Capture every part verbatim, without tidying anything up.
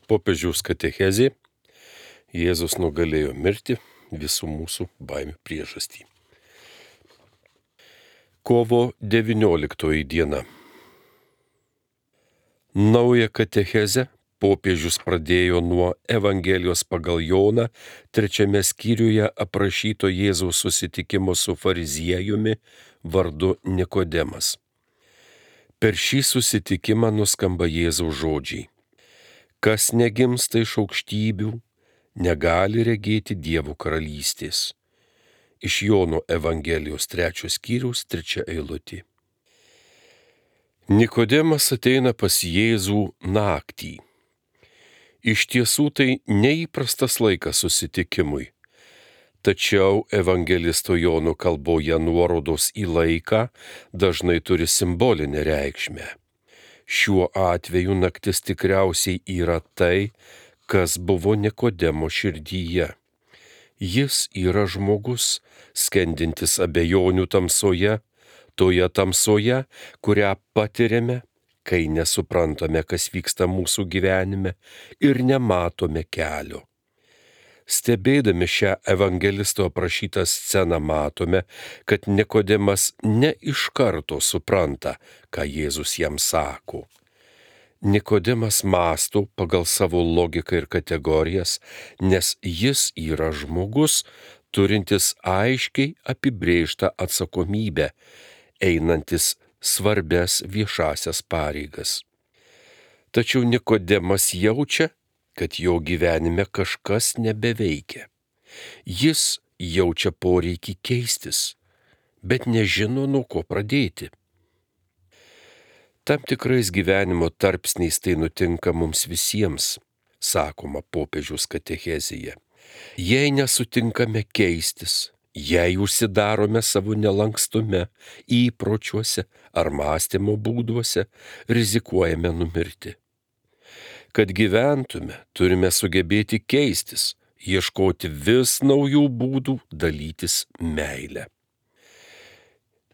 Popiežiaus katechezė Jėzus nugalėjo mirtį, visų mūsų baimių priežastį. Kovo devynioliktoji diena. Naują katechezę popiežius pradėjo nuo Evangelijos pagal Joną trečiame skyriuje aprašyto Jėzaus susitikimo su fariziejumi vardu Nikodemas. Per šį susitikimą nuskamba Jėzaus žodžiai: kas negimsta iš aukštybių, negali regėti Dievo karalystės. Iš Jono Evangelijos trečios skyriaus trečia eilutė. Nikodemas ateina pas Jėzų naktį. Iš tiesų tai neįprastas laikas susitikimui, tačiau evangelisto Jono kalboje nuorodos į laiką dažnai turi simbolinę reikšmę. Šiuo atveju naktis tikriausiai yra tai, kas buvo Nikodemo širdyje. Jis yra žmogus, skendintis abejonių tamsoje, toje tamsoje, kurią patiriame, kai nesuprantame, kas vyksta mūsų gyvenime ir nematome kelio. Stebėdami šią evangelisto aprašytą sceną matome, kad Nikodemas ne iš karto supranta, ką Jėzus jam sako. Nikodemas mąsto pagal savo logiką ir kategorijas, nes jis yra žmogus, turintis aiškiai apibrėžtą atsakomybę, einantis svarbias viešasias pareigas. Tačiau Nikodemas jaučia, kad jo gyvenime kažkas nebeveikia. Jis jaučia poreikį keistis, bet nežino, nuo ko pradėti. Tam tikrais gyvenimo tarpsniais tai nutinka mums visiems, sakoma popiežiaus katechezėje. Jei nesutinkame keistis, jei užsidarome savo nelankstume, įpročiuose ar mąstymo būduose, rizikuojame numirti. Kad gyventume, turime sugebėti keistis, ieškoti vis naujų būdų dalytis meilę.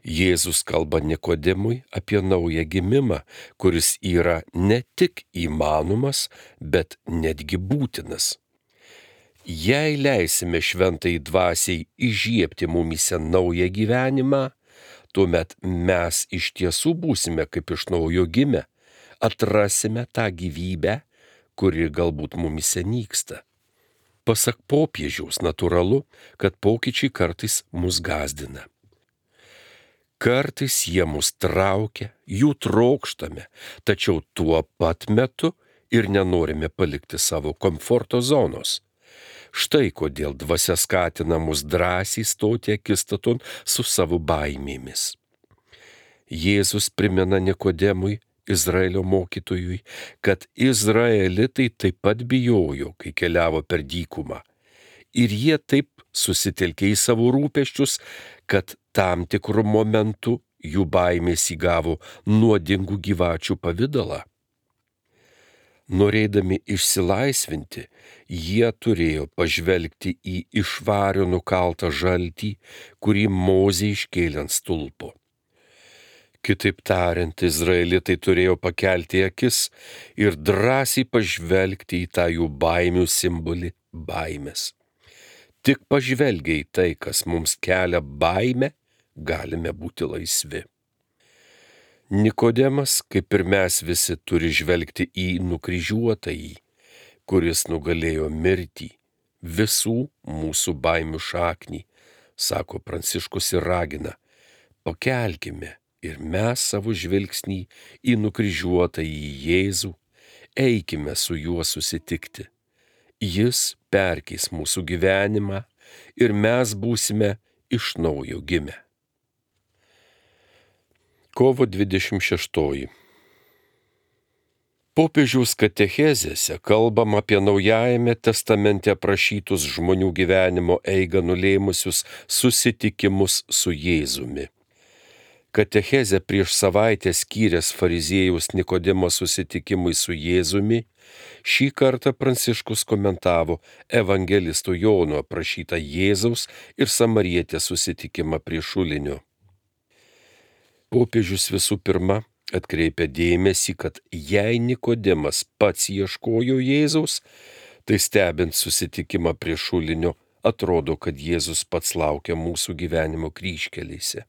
Jėzus kalba Nikodemui apie naują gimimą, kuris yra ne tik įmanomas, bet netgi būtinas. Jei leisime šventai dvasiai įžiebti mumyse naują gyvenimą, tuomet mes iš tiesų būsime kaip iš naujo gimę, atrasime tą gyvybę, kuri galbūt mumyse nyksta. Pasak popiežiaus natūralu, kad pokyčiai kartais mus gąsdina. Kartais jie mus traukia, jų trokštame, tačiau tuo pat metu ir nenorime palikti savo komforto zonos. Štai kodėl dvasia skatina mus drąsiai stoti akistaton su savo baimėmis. Jėzus primena Nikodemui, Izraelio mokytojui, kad izraelitai taip pat bijojo, kai keliavo per dykumą. Ir jie taip susitelkė į savo rūpesčius, kad tam tikrų momentų jų baimės įgavo nuodingų gyvačių pavidalą. Norėdami išsilaisvinti, jie turėjo pažvelgti į iš vario nukaltą žaltį, kurį Mozė iškėlė ant stulpo. Kitaip tariant, izraelitai turėjo pakelti akis ir drąsiai pažvelgti į tą jų baimių simbolį – baimės. Tik pažvelgę į tai, kas mums kelia baimę, galime būti laisvi. Nikodemas, kaip ir mes visi, turi žvelgti į nukryžiuotąjį, kuris nugalėjo mirtį, visų mūsų baimių šaknį, sako Pranciškus ir ragina: pakelkime ir mes savo žvilgsnį į nukryžiuotąjį Jėzų, eikime su juo susitikti. Jis perkeis mūsų gyvenimą ir mes būsime iš naujo gimę. Kovo dvidešimt šeštoji. Popiežiaus katechezėse kalbam apie Naujajame testamente aprašytus žmonių gyvenimo eigą nulėmusius susitikimus su Jėzumi. Katechezę prieš savaitę skyręs fariziejaus Nikodemo susitikimui su Jėzumi, šį kartą Pranciškus komentavo evangelisto Jono aprašytą Jėzaus ir samarietės susitikimą prie šulinio. Popiežius visų pirma Atkreipia dėmesį, kad jei Nikodemas pats ieškojo Jėzaus, tai stebint susitikimą prie šulinio, atrodo, kad Jėzus pats laukia mūsų gyvenimo kryžkelėse.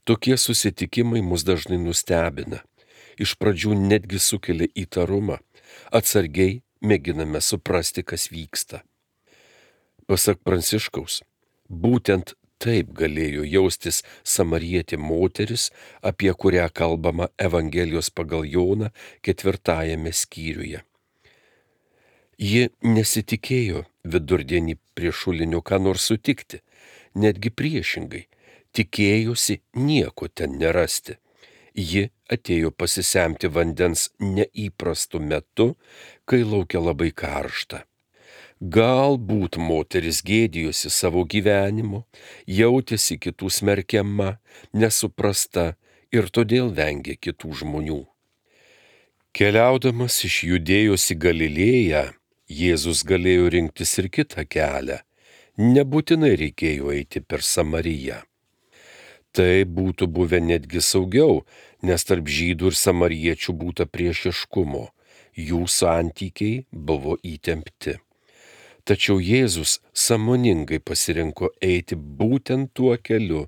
Tokie susitikimai mus dažnai nustebina. Iš pradžių netgi sukelia įtarumą. Atsargiai mėginame suprasti, kas vyksta. Pasak Pranciškaus, būtent taip galėjo jaustis samarietė moteris, apie kurią kalbama Evangelijos pagal Joną ketvirtajame skyriuje. Ji nesitikėjo vidurdienį prie šulinio ką nors sutikti, netgi priešingai, tikėjosi nieko ten nerasti. Ji atėjo pasisemti vandens neįprastu metu, kai laukia labai karšta. Galbūt moteris gėdijosi savo gyvenimu, jautėsi kitų smerkiama, nesuprasta ir todėl vengė kitų žmonių. Keliaudamas iš Judėjos į Galilėją, Jėzus galėjo rinktis ir kitą kelią. Nebūtinai reikėjo eiti per Samariją. Tai būtų buvę netgi saugiau, nes tarp žydų ir samariečių būta priešiškumo, jų santykiai buvo įtempti. Tačiau Jėzus sąmoningai pasirinko eiti būtent tuo keliu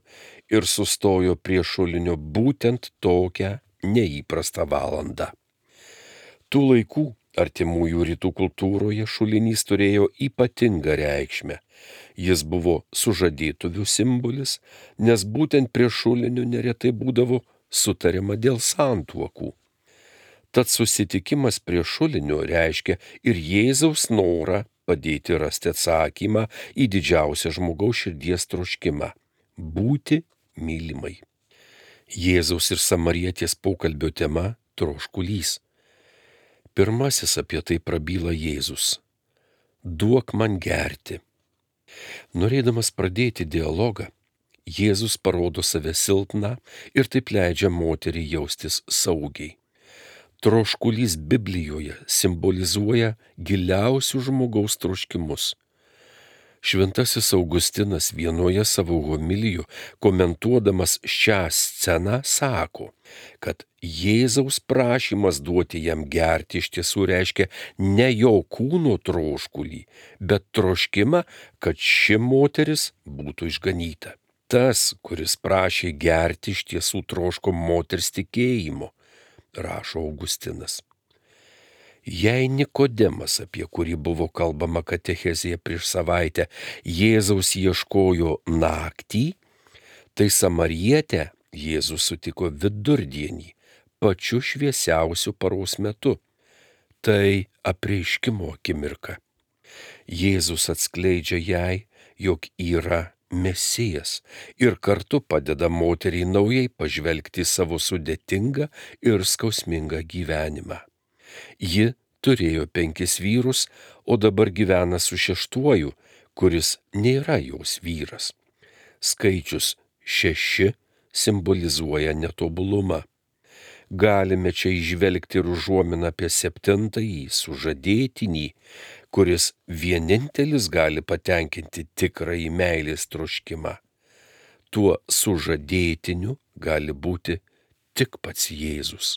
ir sustojo prie šulinio būtent tokią neįprastą valandą. Tų laikų artimųjų rytų kultūroje šulinys turėjo ypatingą reikšmę. Jis buvo sužadėtuvių simbolis, nes būtent prie šulinio neretai būdavo sutariama dėl santuokų. Tad susitikimas prie šulinio reiškia ir Jėzaus norą padėti rasti atsakymą į didžiausią žmogaus širdies troškimą – būti mylimai. Jėzaus ir samarietės pokalbio tema – troškulys. Pirmasis apie tai prabyla Jėzus. Duok man gerti. Norėdamas pradėti dialogą, Jėzus parodo save silpną ir taip leidžia moteriai jaustis saugiai. Troškulys Biblijoje simbolizuoja giliausių žmogaus troškimus. Šventasis Augustinas vienoje savo homilijų, komentuodamas šią sceną, sako, kad Jėzaus prašymas duoti jam gerti iš tiesų reiškia ne jo kūno troškulį, bet troškimą, kad ši moteris būtų išganyta. Tas, kuris prašė gerti, iš tiesų troško moters tikėjimo, rašo Augustinas. Jei Nikodemas, apie kurį buvo kalbama katechezėje prieš savaitę, Jėzaus ieškojo naktį, tai samarietę Jėzus sutiko vidurdienį, pačiu šviesiausiu paros metu. Tai apreiškimo akimirka. Jėzus atskleidžia jai, jog yra Mesijas ir kartu padeda moteriai naujai pažvelgti savo sudėtingą ir skausmingą gyvenimą. Ji turėjo penkis vyrus, o dabar gyvena su šeštuoju, kuris nėra jos vyras. Skaičius šeši simbolizuoja netobulumą. Galime čia įžvelgti ir užuominą apie septintąjį sužadėtinį, kuris vienintelis gali patenkinti tikrąjį meilės troškimą. Tuo sužadėtiniu gali būti tik pats Jėzus.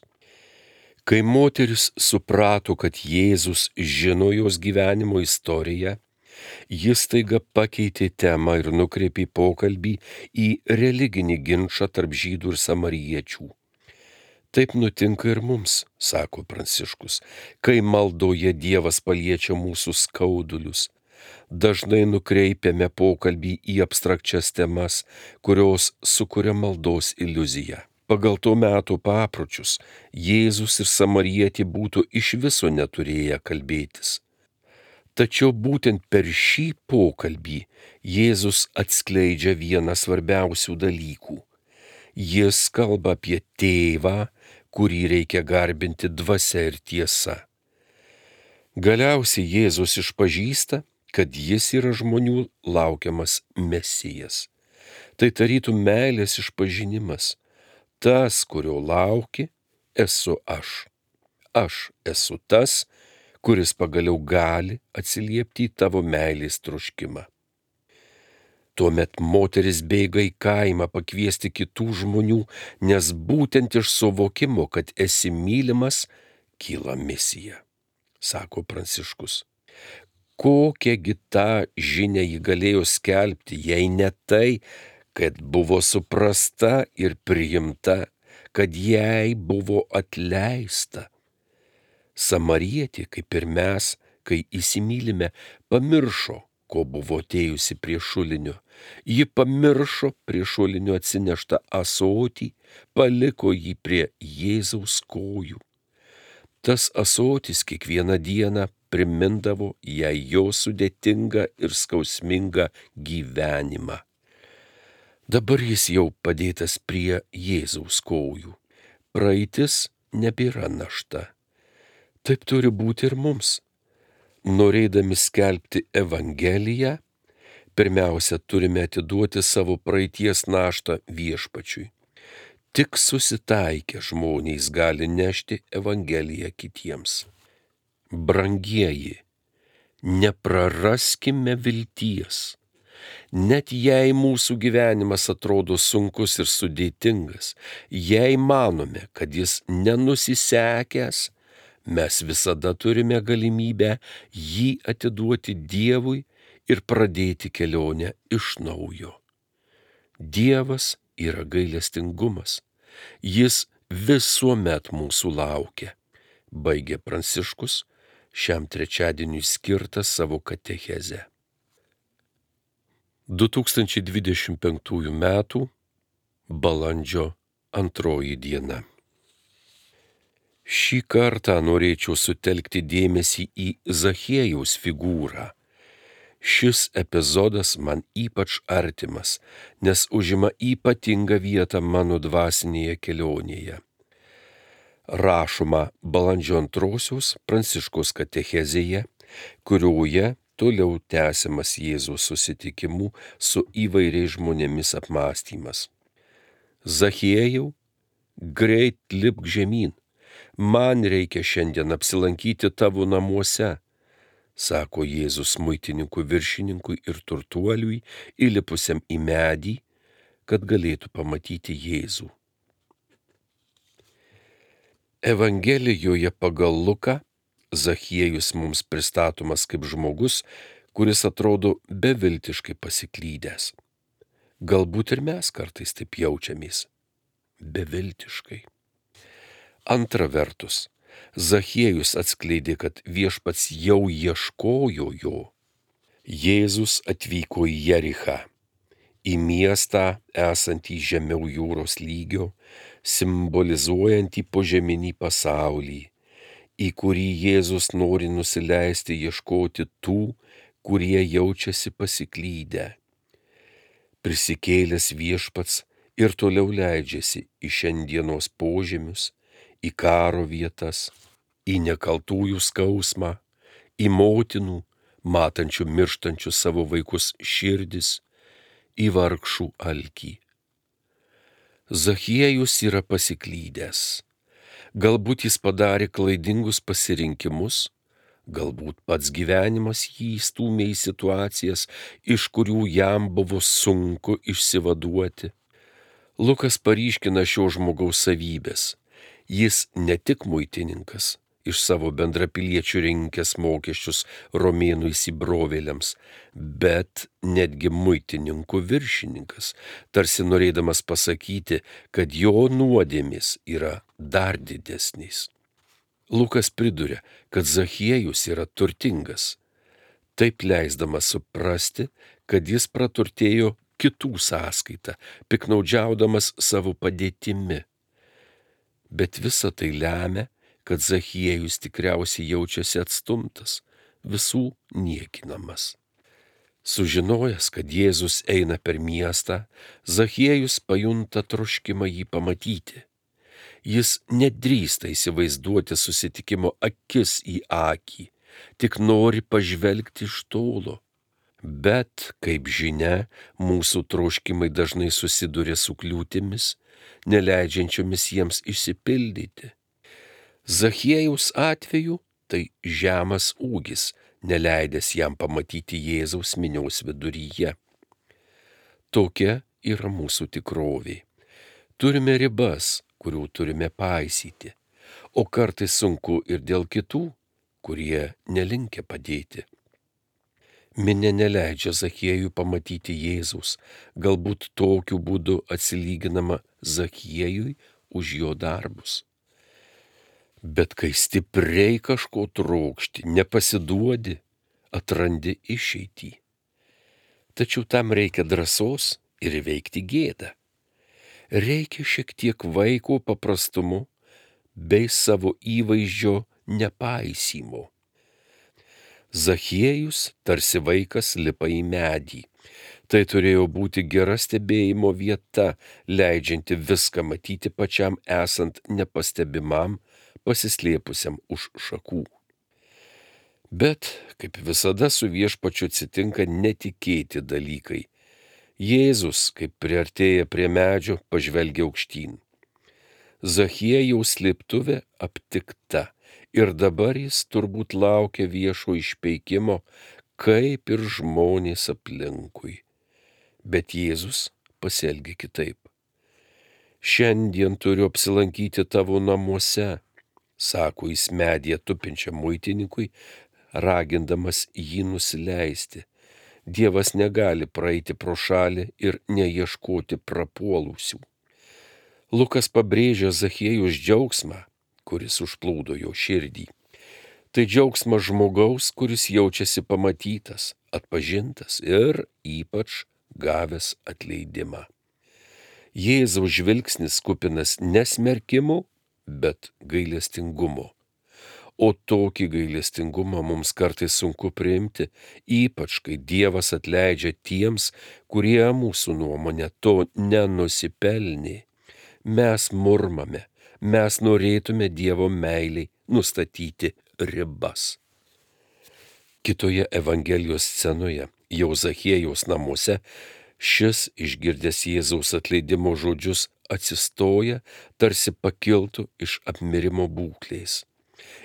Kai moteris suprato, kad Jėzus žino jos gyvenimo istoriją, jis staiga pakeitė temą ir nukreipė pokalbį į religinį ginčą tarp žydų ir samariečių. Taip nutinka ir mums, sako Pranciškus, kai maldoje Dievas paliečia mūsų skaudulius. Dažnai nukreipiame pokalbį į abstrakčias temas, kurios sukuria maldos iliuziją. Pagal to meto papročius Jėzus ir samarietė būtų iš viso neturėję kalbėtis. Tačiau būtent per šį pokalbį Jėzus atskleidžia vieną svarbiausių dalykų. Jis kalba apie tėvą, kurį reikia garbinti dvasia ir tiesa. Galiausiai Jėzus išpažįsta, kad jis yra žmonių laukiamas Mesijas. Tai tarytum meilės išpažinimas. Tas, kurio lauki, esu aš. Aš esu tas, kuris pagaliau gali atsiliepti į tavo meilės troškimą. Tuomet moteris bėga į kaimą pakviesti kitų žmonių, nes būtent iš suvokimo, kad esi mylimas, kyla misija, sako Pranciškus. Kokią tą žinią ji galėjo skelbti, jei ne tai, kad buvo suprasta ir priimta, kad jai buvo atleista. Samarietė, kaip ir mes, kai įsimylime, pamiršo, ko buvo atėjusi prie šulinio. Ji pamiršo prie šulinio atsineštą ąsotį, paliko jį prie Jėzaus kojų. Tas ąsotis kiekvieną dieną primindavo jai jo sudėtingą ir skausmingą gyvenimą. Dabar jis jau padėtas prie Jėzaus kojų. Praeitis nebėra našta. Taip turi būti ir mums. Norėdami skelbti Evangeliją, pirmiausia turime atiduoti savo praeities naštą Viešpačiui. Tik susitaikę žmonės gali nešti Evangeliją kitiems. Brangieji, nepraraskime vilties. Net jei mūsų gyvenimas atrodo sunkus ir sudėtingas, jei manome, kad jis nenusisekęs, mes visada turime galimybę jį atiduoti Dievui ir pradėti kelionę iš naujo. Dievas yra gailestingumas. Jis visuomet mūsų laukia, baigė Pranciškus šiam trečiadieniui skirtą savo katechezę. du tūkstančiai dvidešimt penktųjų metų balandžio antroji diena. Šį kartą norėčiau sutelkti dėmesį į Zachiejaus figūrą. Šis epizodas man ypač artimas, nes užima ypatingą vietą mano dvasinėje kelionėje. Rašoma balandžio antrosios Pranciškaus katechezėje, kurioje toliau tęsiamas Jėzaus susitikimų su įvairiais žmonėmis apmąstymas. Zachiejau, greit lipk žemyn, man reikia šiandien apsilankyti tavo namuose, sako Jėzus muitininkų viršininkui ir turtuoliui, įlipusiam į medį, kad galėtų pamatyti Jėzų. Evangelijoje pagal Luką Zachiejus mums pristatomas kaip žmogus, kuris atrodo beviltiškai pasiklydęs. Galbūt ir mes kartais taip jaučiamės. Beviltiškai. Antra vertus, Zachiejus atskleidė, kad Viešpats jau ieškojo jo. Jėzus atvyko į Jerichą, į miestą esantį žemiau jūros lygio, simbolizuojantį požeminį pasaulį, į kurį Jėzus nori nusileisti ieškoti tų, kurie jaučiasi pasiklydę. Prisikėlęs Viešpats ir toliau leidžiasi į šiandienos požemius, į karo vietas, į nekaltųjų skausmą, į motinų, matančių mirštančių savo vaikus širdis, į vargšų alkį. Zachiejus yra pasiklydęs. Galbūt jis padarė klaidingus pasirinkimus, galbūt pats gyvenimas jį įstūmė į situacijas, iš kurių jam buvo sunku išsivaduoti. Lukas paryškina šio žmogaus savybės. Jis ne tik muitininkas, iš savo bendrapiliečių rinkęs mokesčius romėnų įsibrovėliams, bet netgi muitininkų viršininkas, tarsi norėdamas pasakyti, kad jo nuodėmės yra dar didesnės. Lukas priduria, kad Zachiejus yra turtingas, taip leisdamas suprasti, kad jis praturtėjo kitų sąskaitą, piknaudžiaudamas savo padėtimi. Bet visa tai lemia, kad Zachiejus tikriausiai jaučiasi atstumtas, visų niekinamas. Sužinojęs, kad Jėzus eina per miestą, Zachiejus pajunta troškimą jį pamatyti. Jis nedrįsta įsivaizduoti susitikimo akis į akį, tik nori pažvelgti iš tolo. Bet, kaip žinia, mūsų troškimai dažnai susiduria su kliūtimis, neleidžiančiomis jiems išsipildyti. Zachiejaus atveju tai žemas ūgis, neleidęs jam pamatyti Jėzaus minios viduryje. Tokia yra mūsų tikrovė. Turime ribas, kurių turime paisyti, o kartais sunku ir dėl kitų, kurie nelinkę padėti. Minė neleidžia Zachiejui pamatyti Jėzaus, galbūt tokiu būdu atsilyginama Zachiejui už jo darbus. Bet kai stipriai kažko trokšti, nepasiduodi, atrandi išeitį. Tačiau tam reikia drąsos ir įveikti gėdą. Reikia šiek tiek vaiko paprastumu bei savo įvaizdžio nepaisymo. Zachiejus tarsi vaikas lipa į medį. Tai turėjo būti gera stebėjimo vieta, leidžianti viską matyti pačiam esant nepastebimam, pasislėpusiam už šakų. Bet, kaip visada su viešpačiu atsitinka netikėti dalykai. Jėzus, kaip priartėja prie medžio, pažvelgia aukštyn. Zachiejaus slėptuvė aptikta ir dabar jis turbūt laukia viešo išpeikimo, kaip ir žmonės aplinkui. Bet Jėzus pasielgia kitaip. Šiandien turiu apsilankyti tavo namuose, sako jis medyje tupinčiam muitininkui, ragindamas jį nusileisti. Dievas negali praeiti pro šalį ir neieškoti prapuolusių. Lukas pabrėžia Zachiejaus džiaugsmą, kuris užplūdo jo širdį. Tai džiaugsmas žmogaus, kuris jaučiasi pamatytas, atpažintas ir ypač gavęs atleidimą. Jėzaus žvilgsnis kupinas nesmerkimo, bet gailestingumo. O tokį gailestingumą mums kartais sunku priimti, ypač kai Dievas atleidžia tiems, kurie mūsų nuomonė to nenusipelnė. Mes murmame, mes norėtume Dievo meiliai nustatyti ribas. Kitoje Evangelijos scenoje, jau Zachiejaus namuose, šis išgirdęs Jėzaus atleidimo žodžius atsistoja, tarsi pakiltų iš apmirimo būklės.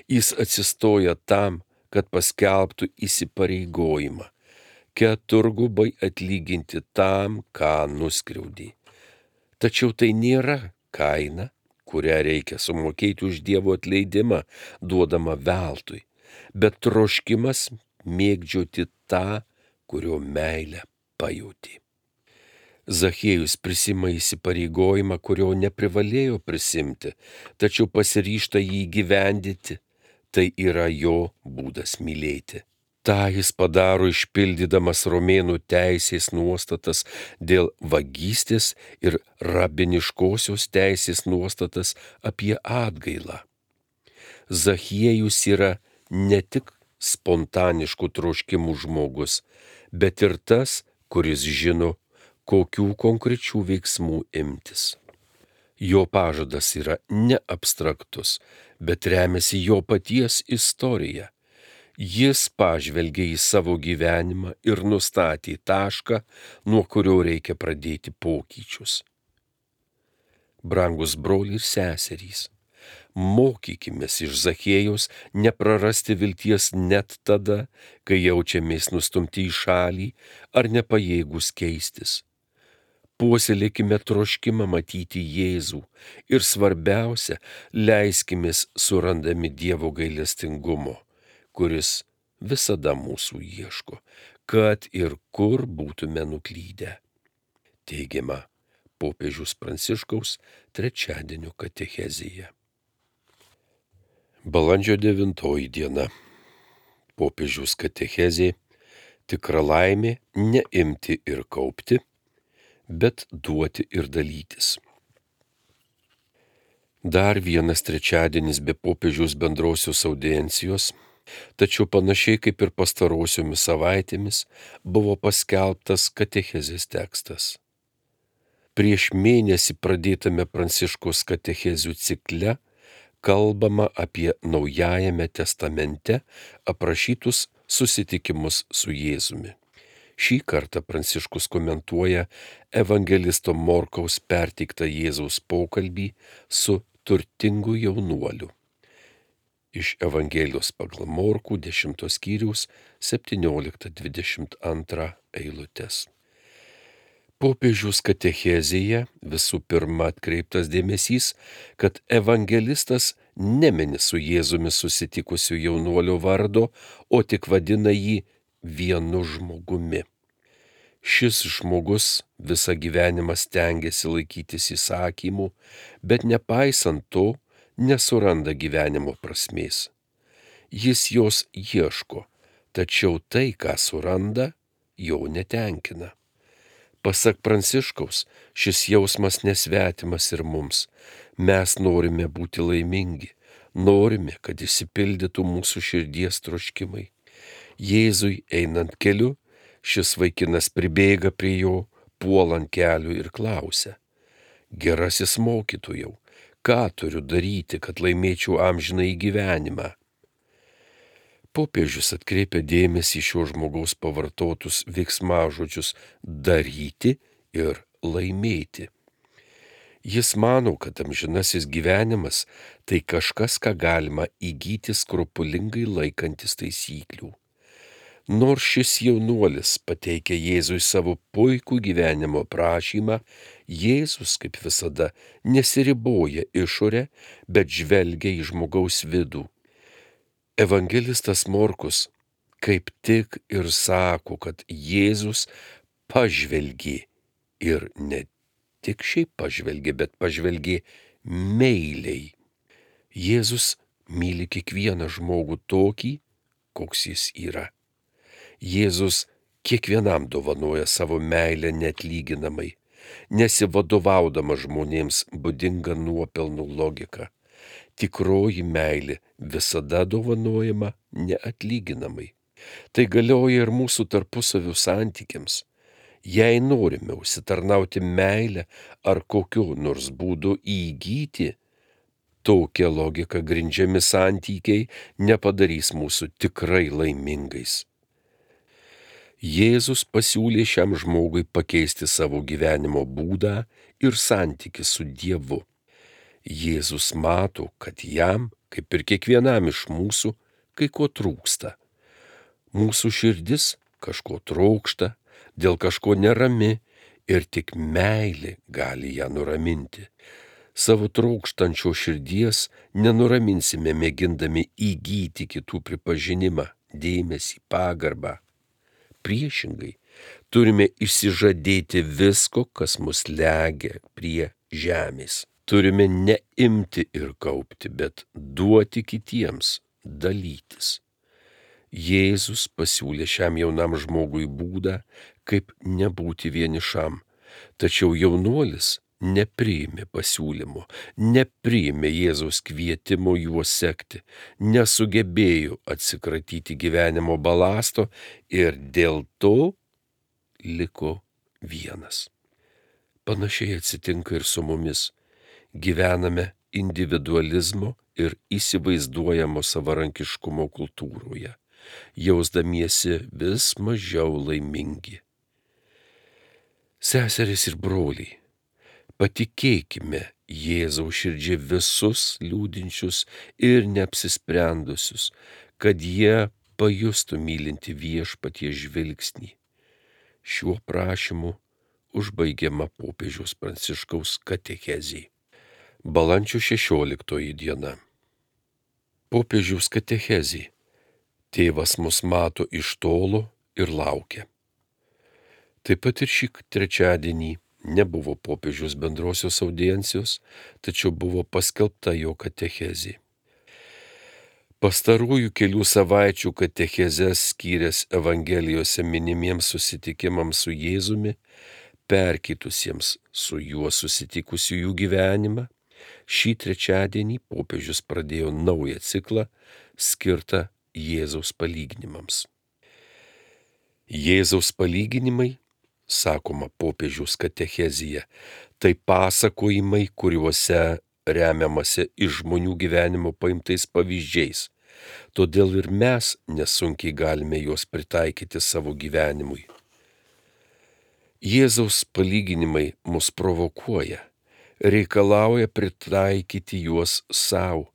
Jis atsistoja tam, kad paskelbtų įsipareigojimą, keturgubai atlyginti tam, ką nuskriaudė. Tačiau tai nėra kaina, kurią reikia sumokėti už Dievo atleidimą, duodama veltui, bet troškimas mėgdžioti tą, kurio meilę pajauti. Zachiejus prisima įsipareigojimą, kurio neprivalėjo prisimti, tačiau pasiryžta jį įgyvendyti. Tai yra jo būdas mylėti. Ta jis padaro išpildydamas romėnų teisės nuostatas dėl vagystės ir rabiniškosios teisės nuostatas apie atgailą. Zachiejus yra ne tik spontaniškų troškimų žmogus, bet ir tas, kuris žino, kokių konkrečių veiksmų imtis. Jo pažadas yra ne abstraktus, bet remiasi jo paties istorija. Jis pažvelgė į savo gyvenimą ir nustatė tašką, nuo kurio reikia pradėti pokyčius. Brangus broliai ir seserys, mokykimės iš Zachiejaus neprarasti vilties net tada, kai jaučiamės nustumti į šalį ar nepajėgus keistis. Puoselėkime troškimą matyti Jėzų ir svarbiausia, leiskimės surandami Dievo gailestingumo, kuris visada mūsų ieško, kad ir kur būtume nuklydę. Teigiama popiežiaus Pranciškaus trečiadienio katechezėje. Balandžio devintoji diena. Popiežiaus katechezė tikra laimė neimti ir kaupti, bet duoti ir dalytis. Dar vienas trečiadienis be popiežiaus bendrosios audiencijos, tačiau panašiai kaip ir pastarosiomis savaitėmis buvo paskelbtas katechezės tekstas. Prieš mėnesį pradėtame Pranciškaus katechezių cikle kalbama apie Naujajame testamente aprašytus susitikimus su Jėzumi. Šį kartą Pranciškus komentuoja evangelisto Morkaus perteiktą Jėzaus pokalbį su turtingu jaunuoliu. Iš Evangelijos pagal Morkų dešimtos skyriaus septynioliktą dvidešimt antrą eilutes. Popiežiaus katechezėje visų pirma atkreiptas dėmesys, kad evangelistas nemini su Jėzumi susitikusių jaunuolio vardo, o tik vadina jį vienu žmogumi. Šis žmogus visą gyvenimą stengiasi laikytis įsakymų, bet nepaisant to nesuranda gyvenimo prasmės. Jis jos ieško, tačiau tai, ką suranda, jo netenkina. Pasak Pranciškaus, šis jausmas nesvetimas ir mums. Mes norime būti laimingi, norime, kad išsipildytų mūsų širdies troškimai. Jėzui einant keliu, šis vaikinas pribėga prie jo, puola ant kelių ir klausia: Gerasis mokytojau, ką turiu daryti, kad laimėčiau amžinąjį gyvenimą? Popiežius atkreipia dėmesį šio žmogaus pavartotus veiksmažodžius daryti ir laimėti. Jis mano, kad amžinasis gyvenimas tai kažkas, ką galima įgyti skrupulingai laikantis taisyklių. Nors šis jaunuolis pateikia Jėzui savo puikų gyvenimo prašymą, Jėzus, kaip visada, nesiriboja išorę, bet žvelgia į žmogaus vidų. Evangelistas Morkus kaip tik ir sako, kad Jėzus pažvelgė ir ne tik šiaip pažvelgė, bet pažvelgė meiliai. Jėzus myli kiekvieną žmogų tokį, koks jis yra. Jėzus kiekvienam dovanoja savo meilę neatlyginamai, nesivadovaudama žmonėms būdinga nuopelnų logika. Tikroji meilė visada dovanojama neatlyginamai. Tai galioja ir mūsų tarpusavio santykiams. Jei norime užsitarnauti meilę ar kokiu nors būdu įgyti, tokia logika grindžiami santykiai nepadarys mūsų tikrai laimingais. Jėzus pasiūlė šiam žmogui pakeisti savo gyvenimo būdą ir santykį su Dievu. Jėzus mato, kad jam, kaip ir kiekvienam iš mūsų, kai ko trūksta. Mūsų širdis kažko trokšta, dėl kažko nerami ir tik meilė gali ją nuraminti. Savo trokštančio širdies nenuraminsime mėgindami įgyti kitų pripažinimą, dėmesį, pagarbą. Priešingai, turime išsižadėti visko, kas mus legia prie žemės. Turime neimti ir kaupti, bet duoti kitiems, dalytis. Jėzus pasiūlė šiam jaunam žmogui būdą, kaip nebūti vienišam, tačiau jaunuolis nepriėmė pasiūlymo, nepriėmė Jėzaus kvietimo juos sekti, nesugebėjo atsikratyti gyvenimo balasto ir dėl to liko vienas. Panašiai atsitinka ir su mumis. Gyvename individualizmo ir įsivaizduojamo savarankiškumo kultūroje, jausdamiesi vis mažiau laimingi. Seserys ir broliai, patikėkime Jėzaus širdžiai visus liūdinčius ir neapsisprendusius, kad jie pajustų mylinti viešpatie žvilgsnį. Šiuo prašymu užbaigiama popiežiaus Pranciškaus katechezė. Balandžio šešioliktoji diena. Popiežiaus katechezė. Tėvas mus mato iš tolo ir laukia. Taip pat ir šį trečiadienį nebuvo popiežiaus bendrosios audiencijos, tačiau buvo paskelbta jo katechezė. Pastarųjų kelių savaičių katechezes skyręs Evangelijose minimiems susitikimams su Jėzumi, perkeitusiems su juo susitikusiųjų gyvenimą, šį trečiadienį popiežius pradėjo naują ciklą skirtą Jėzaus palyginimams. Jėzaus palyginimai, sakoma popiežiaus katechezėje, tai pasakojimai, kuriuose remiamasi iš žmonių gyvenimo paimtais pavyzdžiais. Todėl ir mes nesunkiai galime juos pritaikyti savo gyvenimui. Jėzaus palyginimai mus provokuoja, reikalauja pritaikyti juos savo,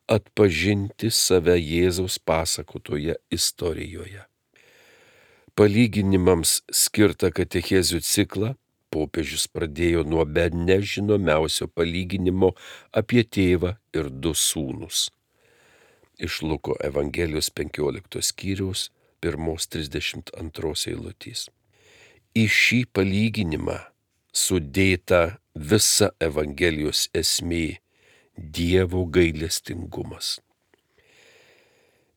atpažinti save Jėzaus pasakotoje istorijoje. Palyginimams skirtą katechezių ciklą popiežius pradėjo nuo be nežinomiausio palyginimo apie tėvą ir du sūnus. Iš Luko Evangelijos penkioliktos skyriaus pirmos trisdešimt antros eilutės. Į šį palyginimą sudėta visa Evangelijos esmė – Dievo gailestingumas.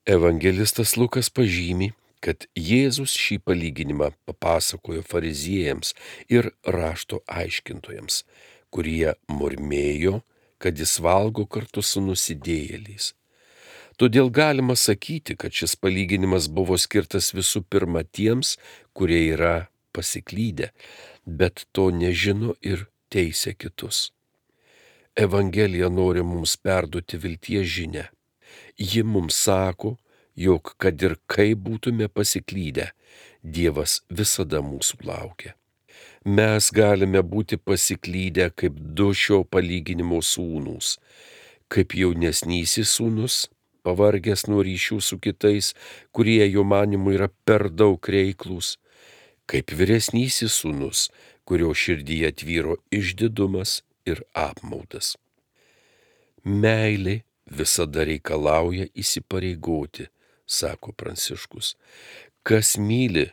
Evangelistas Lukas pažymi, kad Jėzus šį palyginimą papasakojo fariziejams ir rašto aiškintojams, kurie murmėjo, kad jis valgo kartu su nusidėjėliais. Todėl galima sakyti, kad šis palyginimas buvo skirtas visų pirma tiems, kurie yra pasiklydę, bet to nežino ir teisia kitus. Evangelija nori mums perduoti vilties žinią. Ji mums sako, jog kad ir kaip būtume pasiklydę, Dievas visada mūsų laukia. Mes galime būti pasiklydę kaip du šio palyginimo sūnūs, kaip jaunesnysis sūnus, pavargęs nuo ryšių su kitais, kurie jo manimu yra per daug reiklūs, kaip vyresnysis sūnus, kurio širdyje tvyro išdidumas ir apmaudas. Meilė visada reikalauja įsipareigoti, sako Pranciškus. Kas myli,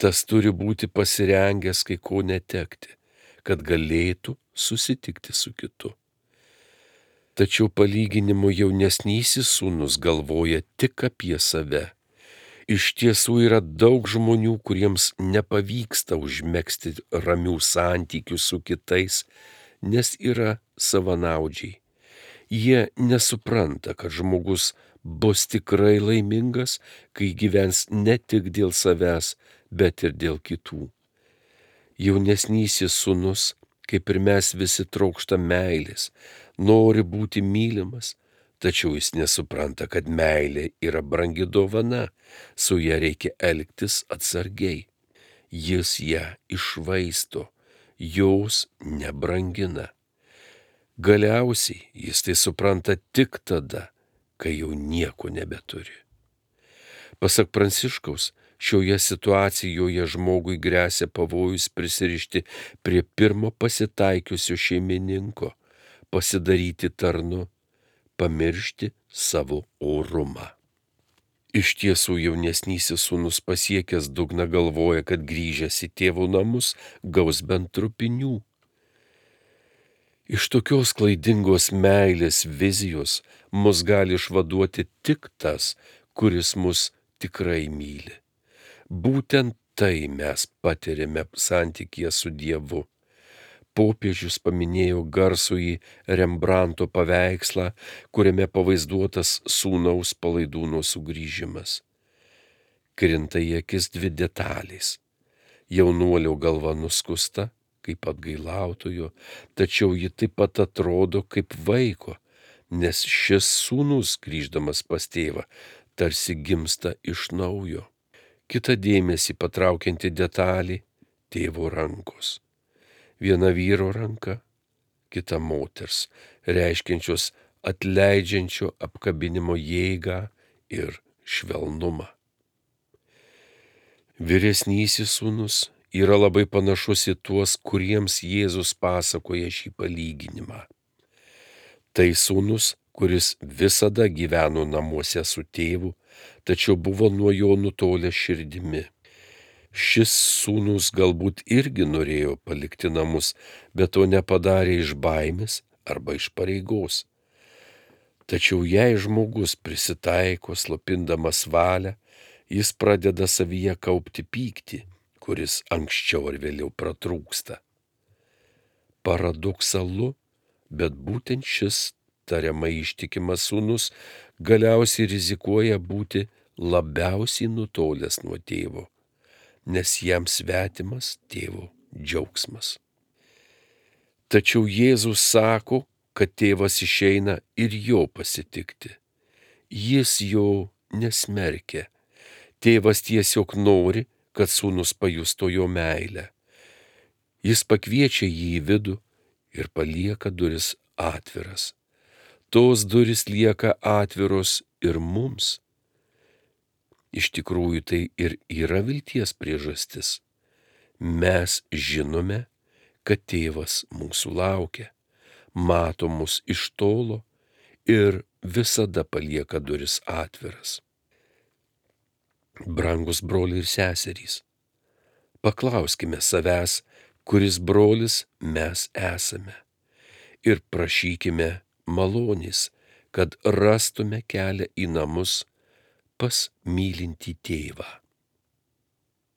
tas turi būti pasirengęs kai ko netekti, kad galėtų susitikti su kitu. Tačiau palyginimo jaunesnysis sūnus galvoja tik apie save. Iš tiesų yra daug žmonių, kuriems nepavyksta užmegzti ramių santykių su kitais, nes yra savanaudžiai. Jie nesupranta, kad žmogus bus tikrai laimingas, kai gyvens ne tik dėl savęs, bet ir dėl kitų. Jaunesnysis sūnus, kaip ir mes visi, trokšta meilės, nori būti mylimas, tačiau jis nesupranta, kad meilė yra brangi dovana, su ja reikia elgtis atsargiai. Jis ją iššvaisto, jos nebrangina. Galiausiai jis tai supranta tik tada, kai jau nieko nebeturi. Pasak Pranciškaus, šioje situacijoje žmogui gresia pavojus prisirišti prie pirmo pasitaikiusio šeimininko, pasidaryti tarnu, pamiršti savo orumą. Iš tiesų jaunesnysis sūnus pasiekęs dugną galvoja, kad grįžęs į tėvo namus gaus bent trupinių. Iš tokios klaidingos meilės vizijos mus gali išvaduoti tik tas, kuris mus tikrai myli. Būtent tai mes patiriame santykyje su Dievu. Popiežius paminėjo garsųjį Rembranto paveikslą, kuriame pavaizduotas sūnaus palaidūno sugrįžimas. Krinta į akis dvi detalės. Jaunuolio galva nuskusta, kaip atgailautojo, tačiau ji taip pat atrodo kaip vaiko, nes šis sūnus, grįždamas pas tėvą, tarsi gimsta iš naujo. Kita dėmesį patraukianti detalė – tėvo rankos. Viena vyro ranka, kita moters, reiškiančios atleidžiančio apkabinimo jėgą ir švelnumą. Vyresnysis sūnus yra labai panašus į tuos, kuriems Jėzus pasakoja šį palyginimą. Tai sūnus, kuris visada gyveno namuose su tėvu, tačiau buvo nuo jo nutolęs širdimi. Šis sūnus galbūt irgi norėjo palikti namus, bet to nepadarė iš baimės arba iš pareigos. Tačiau jei žmogus prisitaiko slopindamas valią, jis pradeda savyje kaupti pyktį, kuris anksčiau ar vėliau pratrūksta. Paradoksalu, bet būtent šis tariamai ištikimas sūnus galiausiai rizikuoja būti labiausiai nutolęs nuo tėvo, nes jam svetimas tėvo džiaugsmas. Tačiau Jėzus sako, kad tėvas išeina ir jo pasitikti. Jis jo nesmerkia. Tėvas tiesiog nori, kad sūnus pajustų jo meilę. Jis pakviečia jį į vidų ir palieka duris atviras. Tos duris lieka atviros ir mums. Iš tikrųjų tai ir yra vilties priežastis. Mes žinome, kad tėvas mūsų laukia, mato mus iš tolo ir visada palieka duris atviras. Brangus broliai ir seserys, paklauskime savęs, kuris brolis mes esame, ir prašykime malonės, kad rastume kelią į namus pas mylintį tėvą.